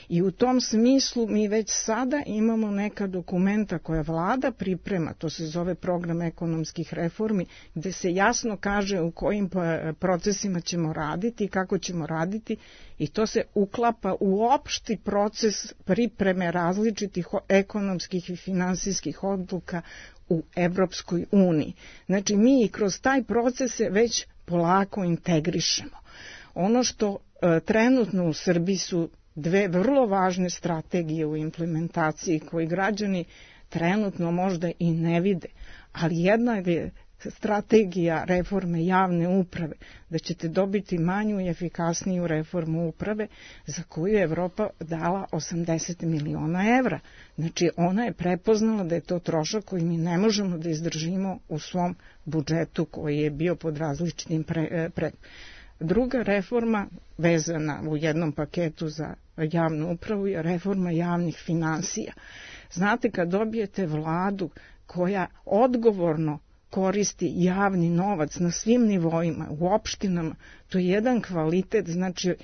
I u tom smislu mi već sada imamo neka dokumenta koja vlada priprema, to se zove program ekonomskih reformi, gde se jasno kaže u kojim procesima ćemo raditi i kako ćemo raditi, i to se uklapa u opšti proces pripreme različitih ekonomskih i finansijskih odluka u Evropskoj uniji. Znači mi i kroz taj proces se već polako integrišemo. Ono što e, trenutno u Srbiji su dve vrlo važne strategije u implementaciji koji građani trenutno možda i ne vide, ali jedna je strategija reforme javne uprave, da ćete dobiti manju i efikasniju reformu uprave za koju je Evropa dala osamdeset miliona evra. Znači ona je prepoznala da je to trošak koji mi ne možemo da izdržimo u svom budžetu koji je bio pod različitim pre, pre. Druga reforma vezana u jednom paketu za javnu upravu je reforma javnih finansija. Znate, kad dobijete vladu koja odgovorno koristi javni novac na svim nivoima, u opštinama, to je jedan kvalitet, znači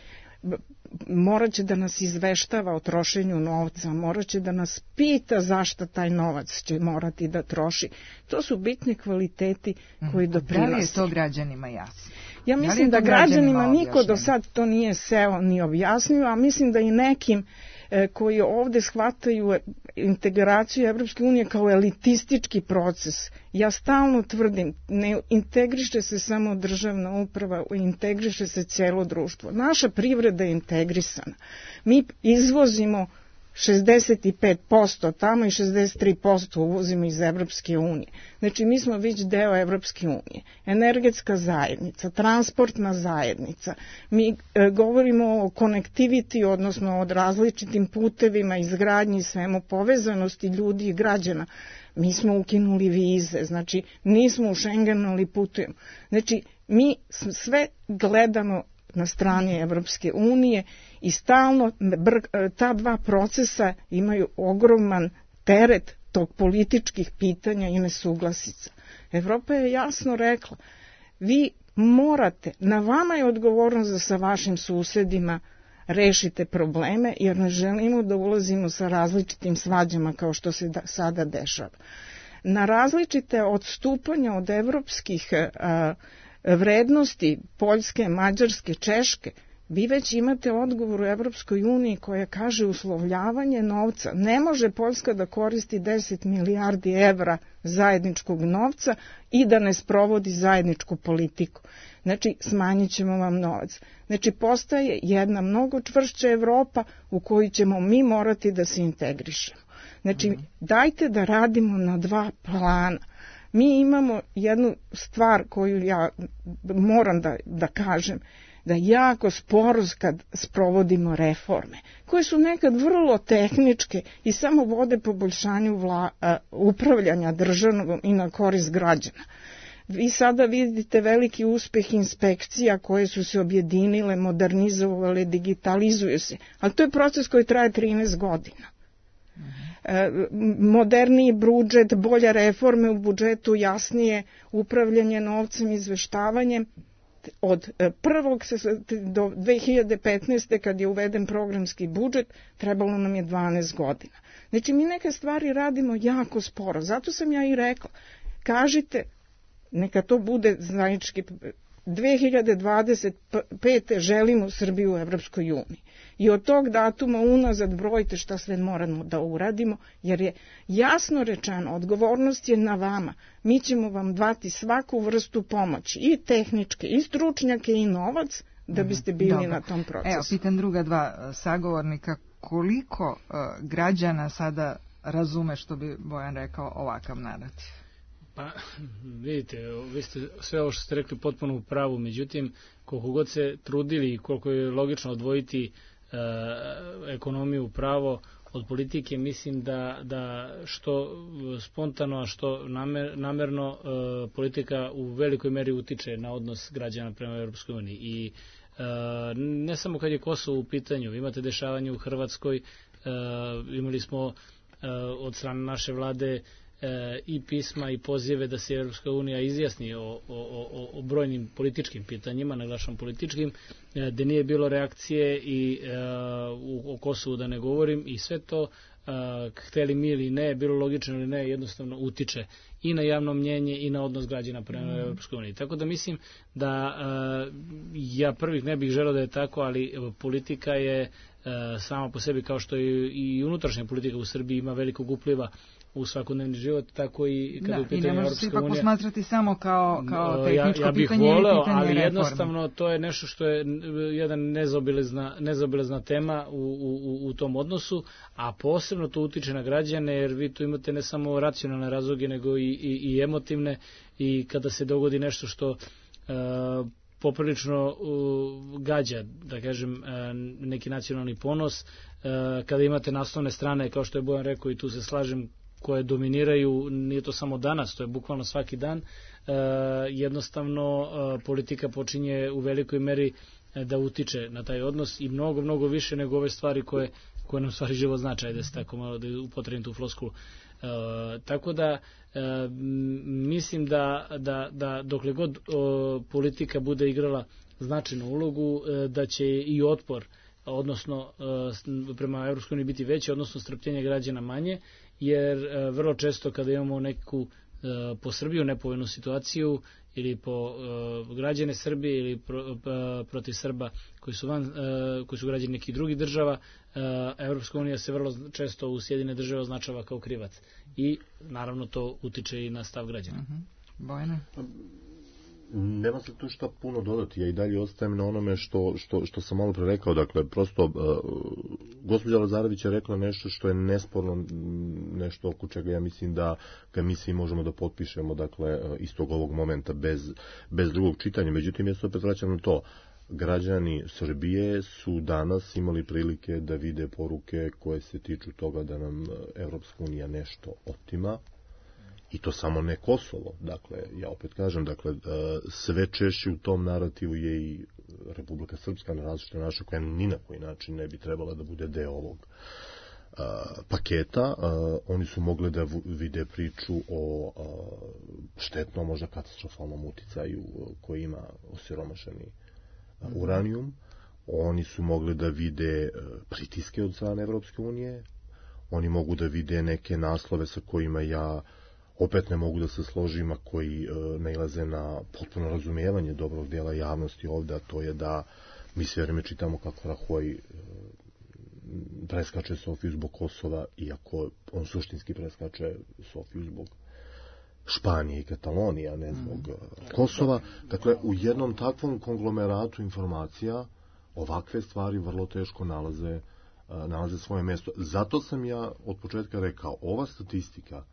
morat će da nas izveštava o trošenju novca, morat će da nas pita zašto taj novac će morati da troši. To su bitni kvaliteti koji doprinose. Da li je to građanima jasno? Ja mislim da, da građanima niko do sad to nije seo ni objasnio, a mislim da i nekim koji ovde shvataju integraciju Evropske unije kao elitistički proces. Ja stalno tvrdim, ne integriše se samo državna uprava, integriše se cijelo društvo. Naša privreda je integrisana. Mi izvozimo šezdeset pet posto tamo i šezdeset tri posto uvozimo iz Evropske unije. Znači mi smo već deo Evropske unije. Energetska zajednica, transportna zajednica. Mi e, govorimo o konektiviti, odnosno o različitim putevima, izgradnji, svemu povezanosti ljudi i građana. Mi smo ukinuli vize, znači nismo u Schengenu, ali putujemo. Znači mi sve gledamo na strani Evropske unije i stalno ta dva procesa imaju ogroman teret tog političkih pitanja i nesuglasica. Evropa je jasno rekla, vi morate, na vama je odgovornost da sa vašim susedima rešite probleme, jer ne želimo da ulazimo sa različitim svađama kao što se da, sada dešava. Na različite odstupanja od evropskih a, vrednosti Poljske, Mađarske, Češke, vi već imate odgovor u Evropskoj uniji koja kaže uslovljavanje novca. Ne može Poljska da koristi deset milijardi evra zajedničkog novca i da ne sprovodi zajedničku politiku. Znači, smanjit ćemo vam novac. Znači, postaje jedna mnogo čvršća Evropa u koju ćemo mi morati da se integrišemo. Znači, dajte da radimo na dva plana. Mi imamo jednu stvar koju ja moram da, da kažem, da jako sporo kad sprovodimo reforme, koje su nekad vrlo tehničke i samo vode poboljšanju vla, uh, upravljanja državnom i na korist građana. Vi sada vidite veliki uspeh inspekcija koje su se objedinile, modernizovale, digitalizuju se, ali to je proces koji traje trinaest godina. Moderniji budžet, bolje reforme u budžetu, jasnije upravljanje novcem, izveštavanjem. Od prvog do dve hiljade petnaeste. kad je uveden programski budžet, trebalo nam je dvanaest godina. Znači mi neke stvari radimo jako sporo, zato sam ja i rekla, kažite, neka to bude zajednički dve hiljade dvadeset pete želimo Srbiju u Evropskoj uniji. I od tog datuma unazad brojite šta sve moramo da uradimo, jer je jasno rečeno, odgovornost je na vama. Mi ćemo vam dati svaku vrstu pomoći, i tehničke, i stručnjake, i novac, da biste bili Dobro. na tom procesu. Evo, pitan druga dva sagovornika, koliko uh, građana sada razume, što bi Bojan rekao, ovakav narativ? Pa, vidite, vi ste sve ovo što ste rekli potpuno u pravu, međutim, koliko god se trudili i koliko je logično odvojiti e, ekonomiju pravo od politike, mislim da, da što spontano, a što namer, namerno e, politika u velikoj meri utiče na odnos građana prema Europskoj uniji. I e, ne samo kad je Kosovo u pitanju, imate dešavanje u Hrvatskoj, e, imali smo e, od strane naše vlade E, i pisma i pozive da se Europska unija izjasni o, o, o, o brojnim političkim pitanjima, naglašavam političkim, e, da nije bilo reakcije i e, u, o Kosovu da ne govorim, i sve to, e, hteli mi ili ne, bilo logično ili ne, jednostavno utiče i na javno mnjenje i na odnos građana prema mm. Europskoj uniji. Tako da mislim da e, ja prvih ne bih želeo da je tako, ali politika je e, sama po sebi, kao što je i unutrašnja politika u Srbiji ima velikog upliva u svakodnevni život, tako i kada da, u pitanju Europska unija. I ne može se ipak posmatrati samo kao, kao tehničko ja, ja bih pitanje voleo, ili pitanje ali reforme. Jednostavno to je nešto što je jedan nezaobilazna, nezaobilazna tema u, u, u tom odnosu, a posebno to utiče na građane, jer vi tu imate ne samo racionalne razloge, nego i, i, i emotivne, i kada se dogodi nešto što uh, poprilično uh, gađa, da kažem, uh, neki nacionalni ponos, uh, kada imate naslovne strane, kao što je Bojan rekao, i tu se slažem, koje dominiraju, nije to samo danas, to je bukvalno svaki dan, e, jednostavno e, politika počinje u velikoj meri e, da utiče na taj odnos, i mnogo, mnogo više nego ove stvari koje, koje nam stvari život značaj, da se tako malo da upotrebim tu floskulu. E, tako da e, mislim da, da, da dokle god o, politika bude igrala značajnu ulogu, e, da će i otpor, odnosno e, prema Europskoj uniji biti veći, odnosno strpljenje građana manje, jer e, vrlo često kada imamo neku e, po Srbiju nepovoljnu situaciju, ili po e, građane Srbije, ili pro, e, protiv Srba koji su, van, e, koji su građani nekih drugih država, e, Evropska unija se vrlo često u Sjedine države označava kao krivac, i naravno to utiče i na stav građana. Uh-huh. Bojana? Nema se tu šta puno dodati, ja i dalje ostajem na onome što, što, što sam malo pre rekao, dakle, prosto uh, gospođa Lazarević je rekla nešto što je nesporno, nešto oko čega ja mislim da ga mi svi možemo da potpišemo, dakle, istog ovog momenta, bez, bez drugog čitanja. Međutim, ja se opet vraćam na to, građani Srbije su danas imali prilike da vide poruke koje se tiču toga da nam Evropska unija nešto otima, i to samo ne Kosovo. Dakle, ja opet kažem, dakle, sve češće u tom narativu je i Republika Srpska na različite načine, koja ni na koji način ne bi trebala da bude deo ovog uh, paketa. Uh, oni su mogli da vide priču o uh, štetnom, možda katastrofalnom uticaju koji ima osiromašeni uh, uranijum. Oni su mogli da vide uh, pritiske od strane Evropske unije. Oni mogu da vide neke naslove sa kojima ja opet ne mogu da se složim, a koji e, nailaze na potpuno razumijevanje dobrog dijela javnosti ovdje, a to je da mi sve vreme čitamo kako Rahoj e, preskače Sofiju zbog Kosova, iako on suštinski preskače Sofiju zbog Španije i Katalonije, a ne zbog mm. Kosova. Dakle, u jednom takvom konglomeratu informacija ovakve stvari vrlo teško nalaze, nalaze svoje mjesto. Zato sam ja od početka rekao, ova statistika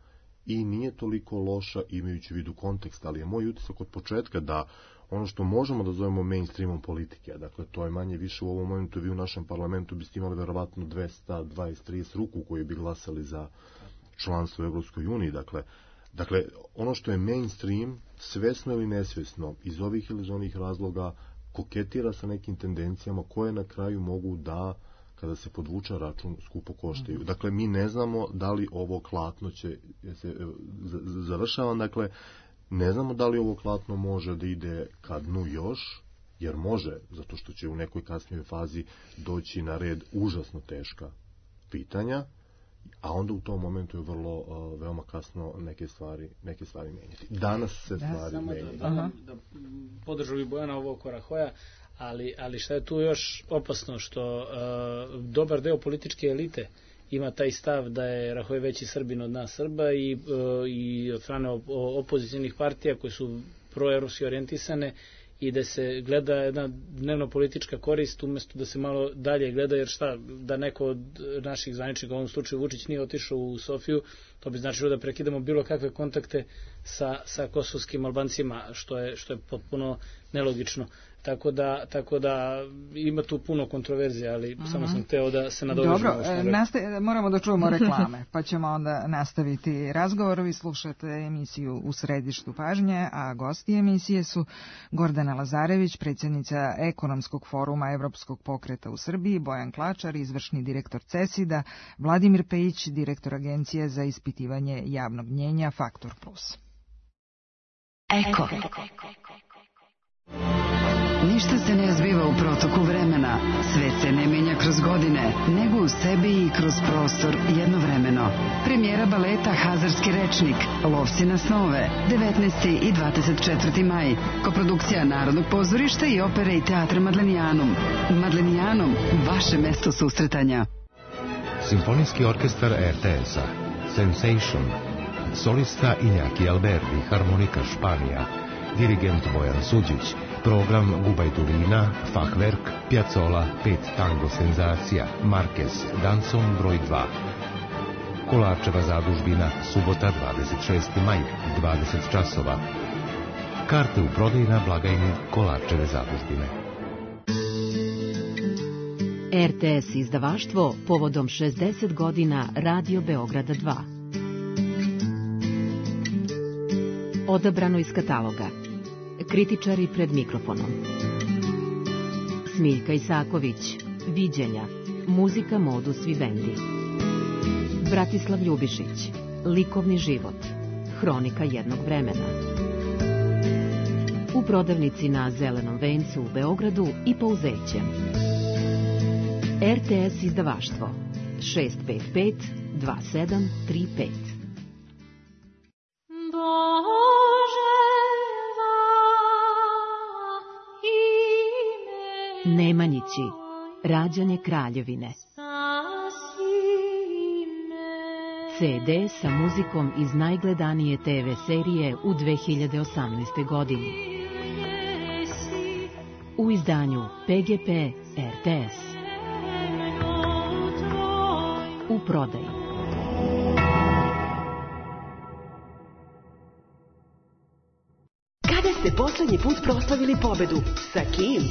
i nije toliko loša imajući vidu kontekst, ali je moj utisak od početka da ono što možemo da zovemo mainstreamom politike, dakle to je manje više u ovom momentu, vi u našem parlamentu biste imali verovatno dvesta dvadeset trideset ruku koji bi glasali za članstvo u Evropskoj uniji, dakle, dakle ono što je mainstream, svesno ili nesvesno, iz ovih ili iz onih razloga koketira sa nekim tendencijama koje na kraju mogu da, kada se podvuče račun, skupo koštaju. Dakle, mi ne znamo da li ovo klatno će, se završavam, dakle, ne znamo da li ovo klatno može da ide ka dnu još, jer može, zato što će u nekoj kasnijoj fazi doći na red užasno teška pitanja, a onda u tom momentu je vrlo uh, veoma kasno neke stvari neke stvari menjati. Danas se da, stvari menjaju. Da, da, da podržu i Bojana ovo oko Rahoja, ali, ali šta je tu još opasno, što uh, dobar deo političke elite ima taj stav da je Rahoj veći Srbin od nas Srba i, uh, i od strane op opozicijnih partija koje su proevropski orijentisane, i da se gleda jedna dnevno politička korist umjesto da se malo dalje gleda, jer šta, da neko od naših zvaničnika, u ovom slučaju Vučić, nije otišao u Sofiju, to bi značilo da prekidamo bilo kakve kontakte sa, sa kosovskim Albancima, što je, što je potpuno nelogično. Tako da, tako da ima tu puno kontroverzije, ali mm-hmm. samo sam hteo da se nadovežemo. Dobro, nastav, moramo da čujemo reklame, pa ćemo onda nastaviti razgovor. Vi slušate emisiju U središtu pažnje, a gosti emisije su Gordana Lazarević, predsjednica Ekonomskog foruma Evropskog pokreta u Srbiji, Bojan Klačar, izvršni direktor CESID-a, Vladimir Pejić, direktor Agencije za ispitivanje javnog mnjenja Faktor Plus. Eko. Ništa se ne zbiva u protoku vremena, svet se ne menja kroz godine, nego u sebi i kroz prostor jednovremeno. Premijera baleta Hazarski rečnik, Lovci na snove, devetnaesti i dvadeset četvrti maj. Koprodukcija Narodnog pozorišta i opere i teatra Madlenijanum. Madlenijanum, vaše mesto susretanja. Simfonijski orkestar R T S-a, Sensation, solista Iñaki Alberdi, harmonika Španija, dirigent Bojan Suđić, program Gubajturina, Fachwerk, Piazzolla, pet tango senzacija, Marquez, Danson broj dva. Kolarčeva zadužbina, subota dvadeset šesti maj, dvadeset časova. Karte u prodaji na blagajni Kolarčeve zadužbine. R T S izdavaštvo povodom šezdeset godina Radio Beograda dva. Odabrano iz kataloga. Kritičari pred mikrofonom. Smiljka Isaković, Viđenja, muzika Modus Vivendi. Bratislav Ljubišić, Likovni život, hronika jednog vremena. U prodavnici na Zelenom vencu u Beogradu i Pouzeće. R T S izdavaštvo šest pet pet dva sedam tri pet. Nemanjići, rađanje kraljevine. C D sa muzikom iz najgledanije T V serije u dve hiljade osamnaestoj. godini. U izdanju P G P R T S. U prodaji. Kada ste poslednji put proslavili pobedu? Sa kim?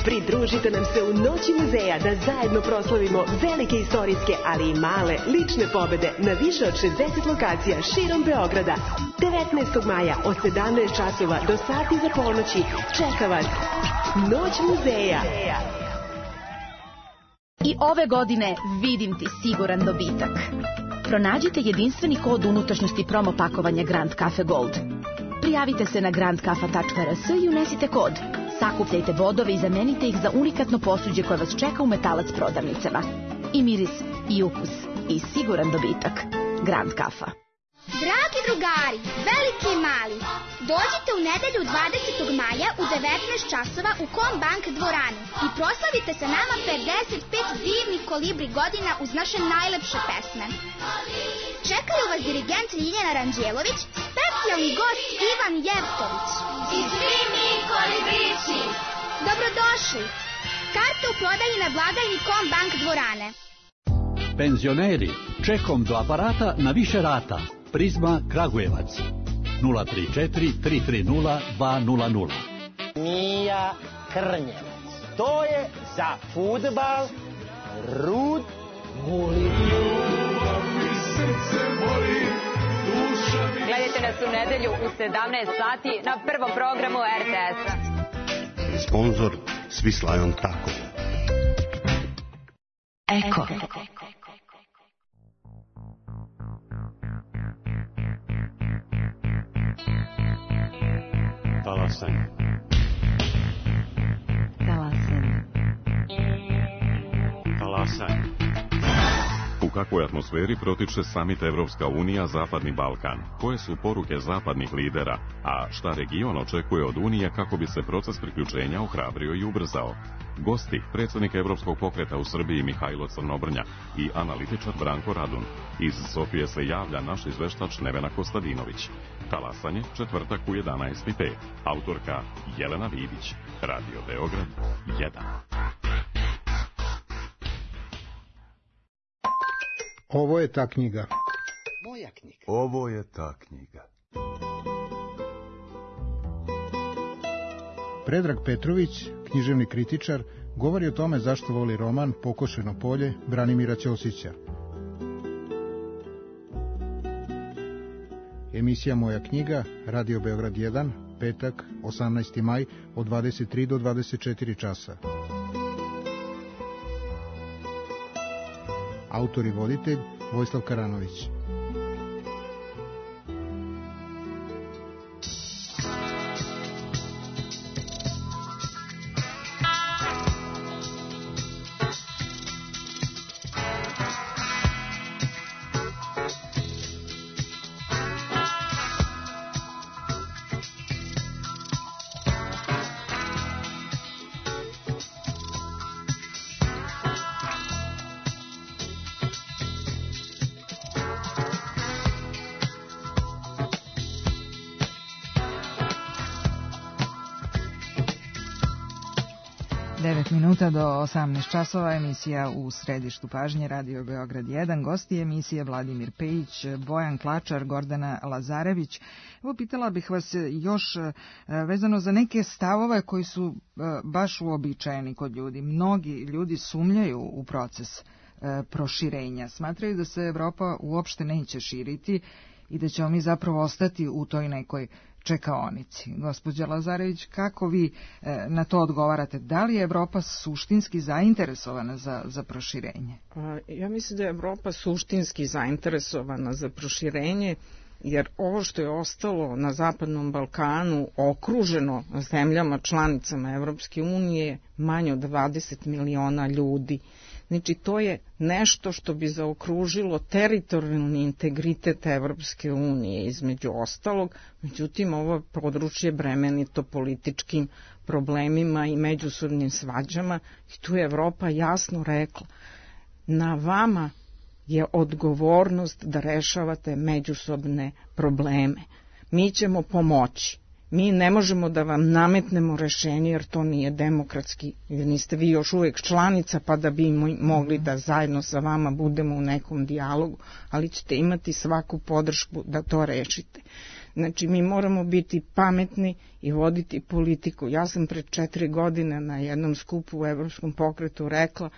Pridružite nam se u Noći muzeja da zajedno proslavimo velike istorijske, ali i male lične pobede na više od šezdeset lokacija širom Beograda. devetnaestog maja od sedamnaest časova do sati za ponoći čeka vas Noć muzeja. I ove godine vidim ti siguran dobitak. Pronađite jedinstveni kod unutrašnjosti promo pakovanja Grand Cafe Gold. Prijavite se na grand kafa tačka r s i unesite kod. Sakupljajte bodove i zamenite ih za unikatno posuđe koje vas čeka u Metalac prodavnicama. I miris, i ukus, i siguran dobitak. Grand Kafa. Dragi drugari, veliki i mali, dođite u nedelju dvadesetog maja u devetnaest časova u Kombank dvorani i proslavite sa nama pedeset pet divnih kolibri godina uz naše najlepše pesme. Čekaju vas dirigent Ljiljana Ranđelović, specijalni gost Ivan Jevtović. I svi mi kolibrići. Dobrodošli. Karte u prodaji na blagajni Kombank dvorane. Penzioneri, čekom do aparata na više rata. Prizma Kragujevac nula tri četiri tri tri nula dva nula nula. Mija Krnjevac. To je za fudbal Rud Guli. Gledajte nas u nedelju u sedamnaest sati na prvom programu R T S-a. Sponzor Svislajon Tako. Eko. Talasanje. Talasanje. Talasanje. U kakvoj atmosferi protiče samit Evropska unija Zapadni Balkan? Koje su poruke zapadnih lidera, a šta region očekuje od Unije kako bi se proces priključenja ohrabrio i ubrzao? Gosti, predsjednik Evropskog pokreta u Srbiji Mihajlo Crnobrnja i analitičar Branko Radun. Iz Sofije se javlja naš izveštač Nevena Kostadinović. Talasanje, četvrtak u jedanaest i pet. Autorka Jelena Vidić. Radio Beograd jedan. Ovo je ta knjiga. Moja knjiga. Ovo je ta knjiga. Predrag Petrović, književni kritičar, govori o tome zašto voli roman Pokošeno polje Branimira Ćosića. Emisija Moja knjiga, Radio Beograd jedan, petak, osamnaesti maj, od dvadeset tri do dvadeset četiri časa. Autor i voditelj Vojislav Karanović. devet minuta do osamnaest časova, emisija U središtu pažnje, Radio Beograd jedan. Gosti emisije Vladimir Pejić, Bojan Klačar, Gordana Lazarević. Evo, pitala bih vas još vezano za neke stavove koji su baš uobičajeni kod ljudi. Mnogi ljudi sumnjaju u proces proširenja. Smatraju da se Evropa uopšte neće širiti i da ćemo mi zapravo ostati u toj nekoj čekaonici. Gospođa Lazarević, kako vi e, na to odgovarate? Da li je Evropa suštinski zainteresovana za, za proširenje? Ja mislim da je Evropa suštinski zainteresovana za proširenje, jer ovo što je ostalo na Zapadnom Balkanu okruženo zemljama članicama Evropske unije manje od dvadeset miliona ljudi. Znači, to je nešto što bi zaokružilo teritorijalni integritet Evropske unije, između ostalog. Međutim, ovo područje bremenito političkim problemima i međusobnim svađama i tu je Evropa jasno rekla: na vama je odgovornost da rešavate međusobne probleme. Mi ćemo pomoći. Mi ne možemo da vam nametnemo rešenje, jer to nije demokratski, jer niste vi još uvijek članica, pa da bi mogli da zajedno sa vama budemo u nekom dijalogu, ali ćete imati svaku podršku da to rešite. Znači, mi moramo biti pametni i voditi politiku. Ja sam pred četiri godine na jednom skupu u Evropskom pokretu rekla: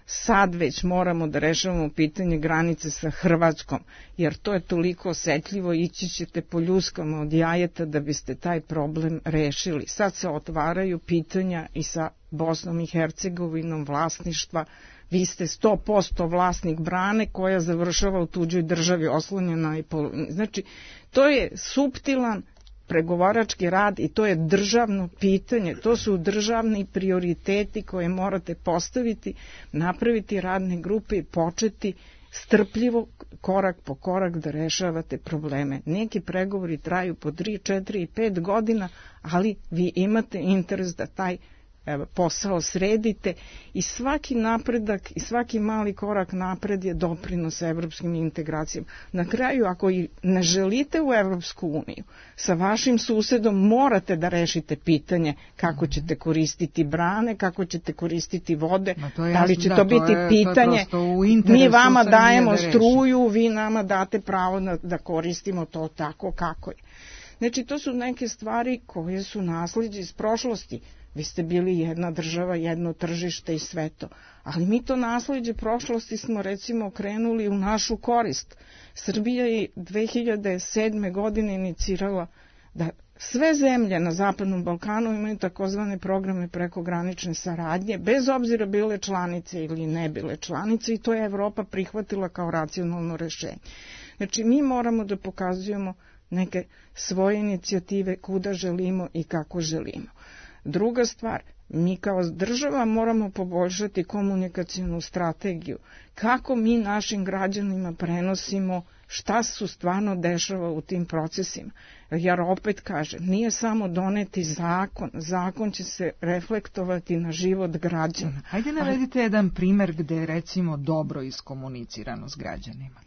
sad već moramo da rešavamo pitanje granice sa Hrvatskom, jer to je toliko osetljivo, ići ćete po ljuskama od jajeta da biste taj problem rešili. Sad se otvaraju pitanja i sa Bosnom i Hercegovinom vlasništva. Vi ste sto posto vlasnik brane koja završava u tuđoj državi, oslonjena i polu... Znači, to je suptilan pregovarački rad i to je državno pitanje, to su državni prioriteti koje morate postaviti, napraviti radne grupe i početi strpljivo, korak po korak da rešavate probleme. Neki pregovori traju po tri, četiri i pet godina, ali vi imate interes da taj posao sredite i svaki napredak i svaki mali korak napred je doprinos evropskim integracijama. Na kraju, ako i ne želite u Evropsku uniju, sa vašim susedom morate da rešite pitanje kako ćete koristiti brane, kako ćete koristiti vode, da li će to biti pitanje, mi vama dajemo struju, vi nama date pravo da koristimo to tako kako je. Znači, to su neke stvari koje su naslijeđe iz prošlosti. Vi ste bili jedna država, jedno tržište i sve to. Ali mi to naslijeđe prošlosti smo recimo okrenuli u našu korist. Srbija je dve hiljade sedme. godine inicirala da sve zemlje na Zapadnom Balkanu imaju takozvane programe prekogranične saradnje, bez obzira bile članice ili ne bile članice, i to je Evropa prihvatila kao racionalno rešenje. Znači, mi moramo da pokazujemo neke svoje inicijative kuda želimo i kako želimo. Druga stvar, Mi kao država moramo poboljšati komunikacionu strategiju. Kako mi našim građanima prenosimo šta su stvarno dešava u tim procesima. Jer opet kažem, nije samo doneti zakon, zakon će se reflektovati na život građana. Hajde navedite jedan primer gde je recimo dobro iskomunicirano s građanima.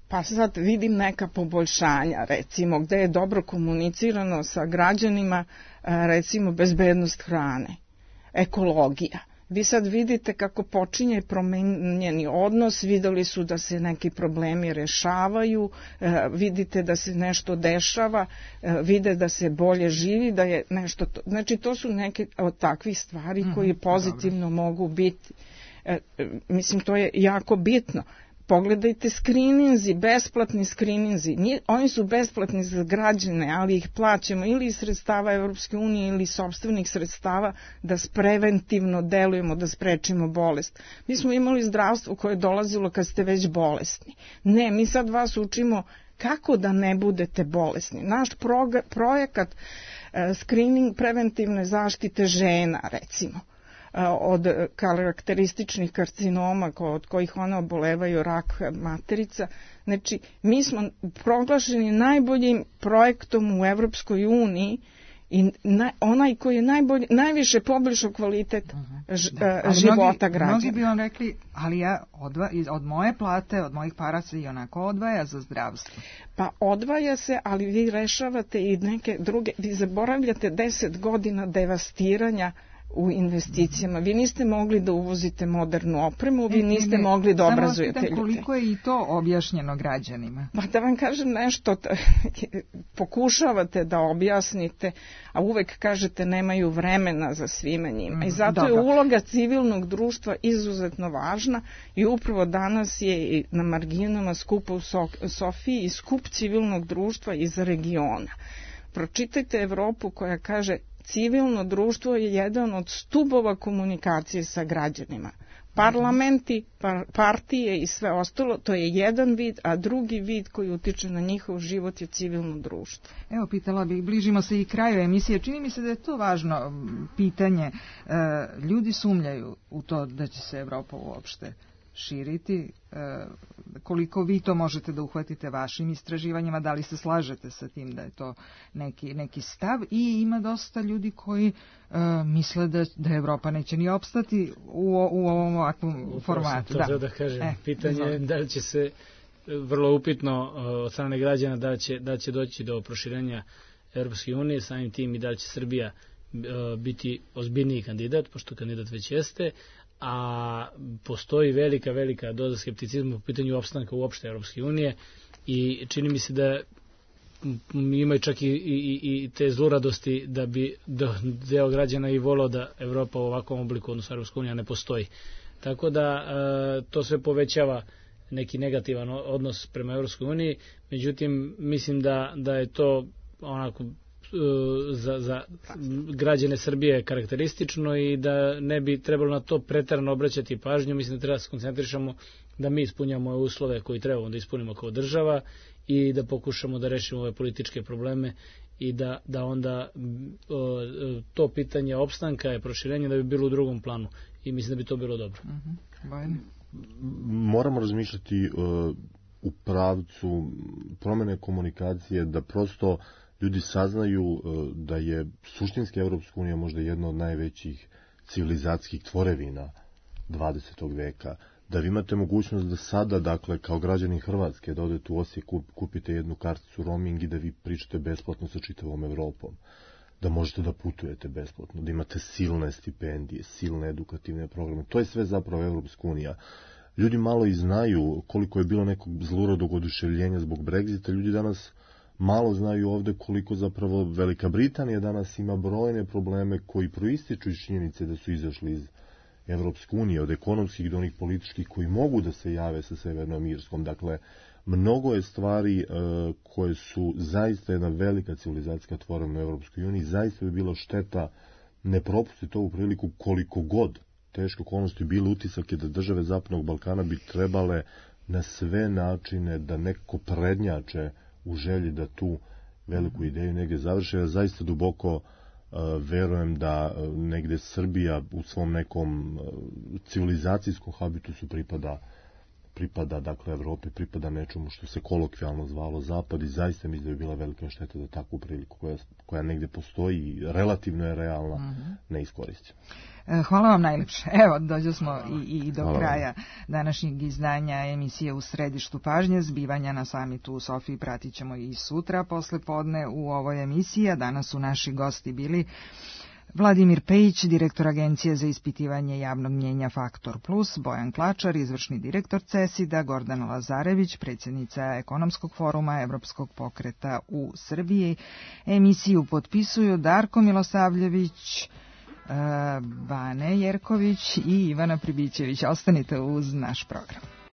Pa sad vidim neka poboljšanja, recimo gde je dobro komunicirano sa građanima, recimo bezbednost hrane, ekologija. Vi sad vidite kako počinje promenjeni odnos, videli su da se neki problemi rešavaju, vidite da se nešto dešava, vide da se bolje živi, da je nešto... To, znači to su neke od takvih stvari koje pozitivno Dobre. mogu biti. Mislim, to je jako bitno. Pogledajte skrininzi, besplatni skrininzi. Oni su besplatni za građane, ali ih plaćamo ili iz sredstava Evropske unije ili sopstvenih sredstava da preventivno delujemo, da sprečimo bolest. Mi smo imali zdravstvo koje je dolazilo kad ste već bolesni. Ne, mi sad vas učimo kako da ne budete bolesni. Naš projekat screening preventivne zaštite žena, recimo, od karakterističnih karcinoma od kojih one obolevaju, rak materica. Znači, mi smo proglašeni najboljim projektom u Evropskoj uniji i na, onaj koji je najbolji, najviše poboljšao kvalitet ž, da, života mnogi, građana. Mnogi bi vam rekli, ali ja odva, od moje plate, od mojih para se i onako odvaja za zdravstvo. Pa odvaja se, ali vi rešavate i neke druge, vi zaboravljate deset godina devastiranja u investicijama. Vi niste mogli da uvozite modernu opremu, vi niste ne, mogli da obrazujete ljude. Koliko je i to objašnjeno građanima? Pa da vam kažem nešto, pokušavate da objasnite, a uvek kažete nemaju vremena za svime njima. I zato Dobro. je uloga civilnog društva izuzetno važna i upravo danas je na marginama skupa u Sofiji i skup civilnog društva iz regiona. Pročitajte Evropu koja kaže civilno društvo je jedan od stubova komunikacije sa građanima. Parlamenti, par, partije i sve ostalo, to je jedan vid, a drugi vid koji utiče na njihov život je civilno društvo. Evo, pitala bih, bližimo se i kraju emisije. Čini mi se da je to važno pitanje. Ljudi sumnjaju u to da će se Evropa uopšte širiti. Koliko vi to možete da uhvatite vašim istraživanjima, da li se slažete sa tim da je to neki, neki stav, i ima dosta ljudi koji uh, misle da, da Evropa neće ni opstati u, u ovom ovakvom formatu. To da. da kažem, e, pitanje je da li će se, vrlo upitno od strane građana, da će, da će doći do proširenja Evropske unije, samim tim i da će Srbija uh, biti ozbiljniji kandidat, pošto kandidat već jeste, a postoji velika, velika doza skepticizma u pitanju opstanka uopšte Evropske unije i čini mi se da imaju čak i, i, i te zluradosti da bi deo građana i volao da Evropa u ovakvom obliku, odnosno Evropska unija, ne postoji. Tako da to sve povećava neki negativan odnos prema Evropskoj uniji, međutim mislim da, da je to onako za, za građane Srbije karakteristično i da ne bi trebalo na to preterano obraćati pažnju. Mislim da treba da se koncentrišemo da mi ispunjamo uslove koji trebamo da ispunimo kao država i da pokušamo da rešimo ove političke probleme i da, da onda o, to pitanje opstanka i proširenja da bi bilo u drugom planu i mislim da bi to bilo dobro. Uh-huh. Moramo razmišljati uh, u pravcu promene komunikacije, da prosto ljudi saznaju da je suštinski Evropska unija možda jedna od najvećih civilizacijskih tvorevina dvadesetog veka. Da vi imate mogućnost da sada, dakle, kao građani Hrvatske, da odete u Osijek, kupite jednu karticu roaming i da vi pričate besplatno sa čitavom Evropom. Da možete da putujete besplatno, da imate silne stipendije, silne edukativne programe. To je sve zapravo Evropska unija. Ljudi malo i znaju koliko je bilo nekog zluradog oduševljenja zbog Brexita. Ljudi danas malo znaju ovde koliko zapravo Velika Britanija danas ima brojne probleme koji proističu iz činjenice da su izašli iz Evropske unije, od ekonomskih do onih političkih koji mogu da se jave sa Severnom Irskom. Dakle, mnogo je stvari uh, koje su zaista jedna velika civilizacijska tvorevina u Evropskoj uniji. Zaista bi bilo šteta ne propustiti ovu priliku, koliko god teško okolnosti bile. Utisak je da države Zapadnog Balkana bi trebale na sve načine da nekako prednjače u želji da tu veliku ideju negdje završe. Ja zaista duboko verujem da negde Srbija u svom nekom civilizacijskom habitusu pripada pripada, dakle, Evropi, pripada nečemu što se kolokvijalno zvalo Zapad i zaista mi da je bila velika šteta da takvu priliku koja, koja negde postoji i relativno je realna, mm-hmm. ne iskoristi. Hvala vam najlepše. Evo, dođe smo i, i do Hvala kraja vam. Današnjeg izdanja emisije U središtu pažnje. Zbivanja na samitu u Sofiji pratit ćemo i sutra posle podne u ovoj emisiji, a danas su naši gosti bili Vladimir Pejić, direktor Agencije za ispitivanje javnog mnjenja Faktor Plus, Bojan Klačar, izvršni direktor CESID-a, Gordana Lazarević, predsjednica Ekonomskog foruma Evropskog pokreta u Srbiji. Emisiju potpisuju Darko Milosavljević, Bane Jerković i Ivana Pribićević. Ostanite uz naš program.